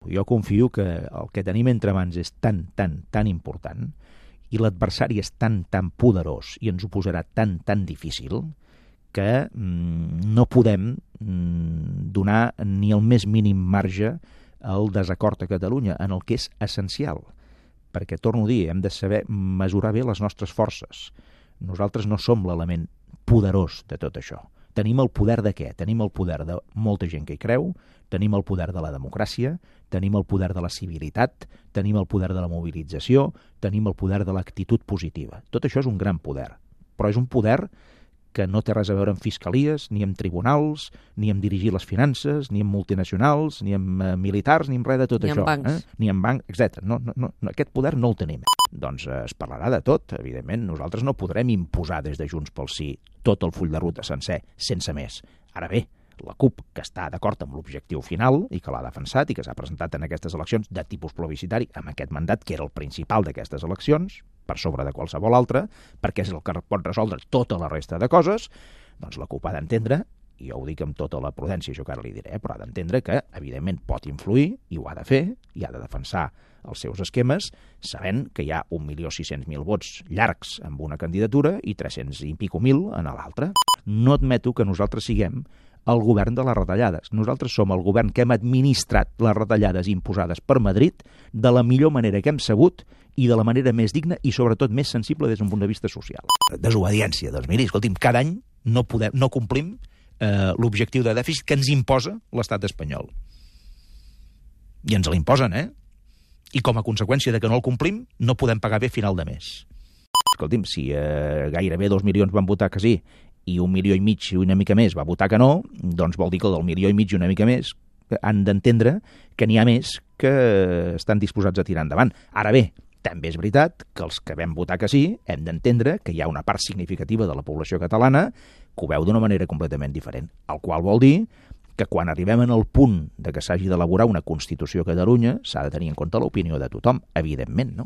Jo confio que el que tenim entre mans és tan important i l'adversari és tan poderós i ens ho posarà tan difícil que no podem donar ni el més mínim marge al desacord a Catalunya en el que és essencial. Perquè, torno a dir, hem de saber mesurar bé les nostres forces. Nosaltres no som l'element poderós de tot això. Tenim el poder de què? Tenim el poder de molta gent que hi creu, tenim el poder de la democràcia, tenim el poder de la civilitat, tenim el poder de la mobilització, tenim el poder de l'actitud positiva. Tot això és un gran poder, però és un poder que no té res a veure amb fiscalies, ni amb tribunals, ni amb dirigir les finances, ni amb multinacionals, ni amb militars, ni amb res de tot això. Ni amb bancs. Ni amb bancs, etc. No, aquest poder no el tenim. Doncs es parlarà de tot, evidentment. Nosaltres no podrem imposar des de Junts pel Sí tot el full de ruta sencer, sense més. Ara bé, la CUP, que està d'acord amb l'objectiu final i que l'ha defensat i que s'ha presentat en aquestes eleccions de tipus plebiscitari amb aquest mandat, que era el principal d'aquestes eleccions, per sobre de qualsevol altra, perquè és el que pot resoldre tota la resta de coses, doncs la CUP ha d'entendre, i jo ho dic amb tota la prudència, això que ara li diré, però ha d'entendre que, evidentment, pot influir, i ho ha de fer, i ha de defensar els seus esquemes, sabent que hi ha 1.600.000 vots llargs amb una candidatura i 300 i pico mil en l'altra. No admeto que nosaltres siguem el govern de les retallades. Nosaltres som el govern que hem administrat les retallades imposades per Madrid de la millor manera que hem sabut i de la manera més digna i sobretot més sensible des d'un punt de vista social. Desobediència. Doncs miri, escolti'm, cada any no complim l'objectiu de dèficit que ens imposa l'estat espanyol. I ens l'imposen, I com a conseqüència de que no el complim, no podem pagar bé a final de mes. Escolti'm, si gairebé 2 milions van votar que sí i 1,5 milions i una mica més va votar que no, doncs vol dir que del 1,5 milions i una mica més han d'entendre que n'hi ha més que estan disposats a tirar endavant. Ara bé, també és veritat que els que vam votar que sí hem d'entendre que hi ha una part significativa de la població catalana que ho veu d'una manera completament diferent, el qual vol dir que quan arribem en el punt de que s'hagi d'elaborar una Constitució a Catalunya s'ha de tenir en compte l'opinió de tothom, evidentment, no?